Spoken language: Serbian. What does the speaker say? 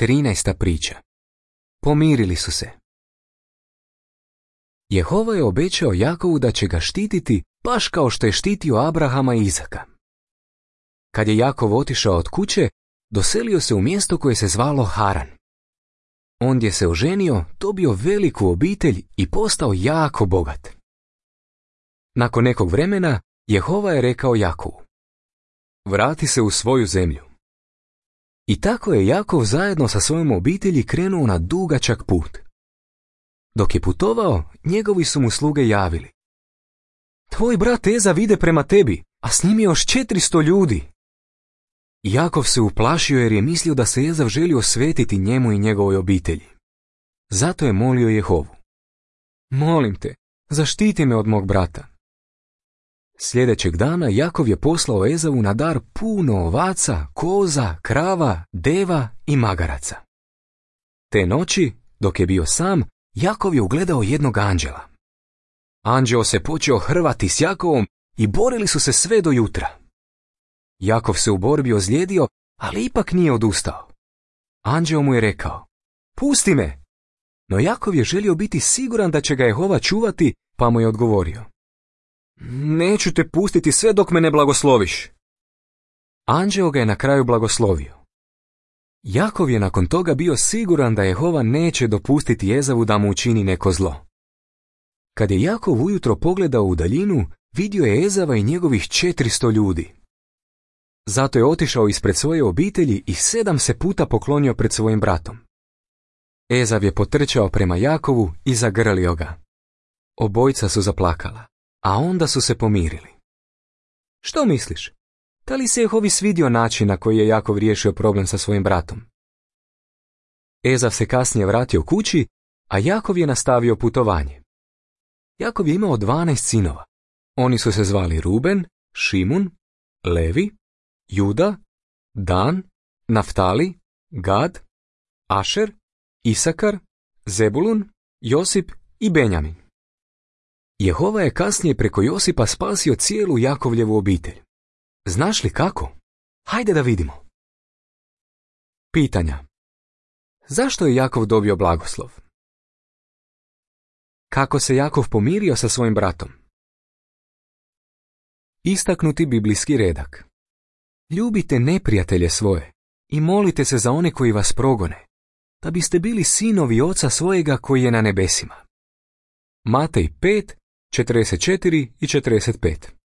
13. priča. Pomirili su se. Jehova je obećao Jakovu da će ga štititi baš kao što je štitio Abrahama i Izaka. Kad je Jakov otišao od kuće, doselio se u mjesto koje se zvalo Haran. Ondje se oženio, dobio veliku obitelj i postao jako bogat. Nakon nekog vremena, Jehova je rekao Jakovu: vrati se u svoju zemlju. I tako je Jakov zajedno sa svojom obitelji krenuo na dugačak put. Dok je putovao, njegovi su mu sluge javili: tvoj brat Ezav ide prema tebi, a s njim je još 400 ljudi. Jakov se uplašio jer je mislio da se Ezav želi osvetiti njemu i njegovoj obitelji. Zato je molio Jehovu: molim te, zaštiti me od mog brata. Sljedećeg dana Jakov je poslao Ezavu na dar puno ovaca, koza, krava, deva i magaraca. Te noći, dok je bio sam, Jakov je ugledao jednog anđela. Anđeo se počeo hrvati s Jakovom i borili su se sve do jutra. Jakov se u borbi ozlijedio, ali ipak nije odustao. Anđeo mu je rekao: pusti me! No Jakov je želio biti siguran da će ga Jehova čuvati, pa mu je odgovorio: neću te pustiti sve dok me ne blagosloviš. Anđeo ga je na kraju blagoslovio. Jakov je nakon toga bio siguran da Jehova neće dopustiti Ezavu da mu učini neko zlo. Kad je Jakov ujutro pogledao u daljinu, vidio je Ezava i njegovih 400 ljudi. Zato je otišao ispred svoje obitelji i 7 se puta poklonio pred svojim bratom. Ezav je potrčao prema Jakovu i zagrlio ga. Obojica su zaplakala, a onda su se pomirili. Što misliš? Da li se Jehovi svidio način na koji je Jakov riješio problem sa svojim bratom? Ezav se kasnije vratio kući, a Jakov je nastavio putovanje. Jakov je imao 12 sinova. Oni su se zvali Ruben, Šimun, Levi, Juda, Dan, Naftali, Gad, Ašer, Isakar, Zebulun, Josip i Benjamin. Jehova je kasnije preko Josipa spasio cijelu Jakovljevu obitelj. Znaš li kako? Hajde da vidimo. Pitanja. Zašto je Jakov dobio blagoslov? Kako se Jakov pomirio sa svojim bratom? Istaknuti biblijski redak. Ljubite neprijatelje svoje i molite se za one koji vas progone, da biste bili sinovi Oca svojega koji je na nebesima. Matej 5, 44 i 45.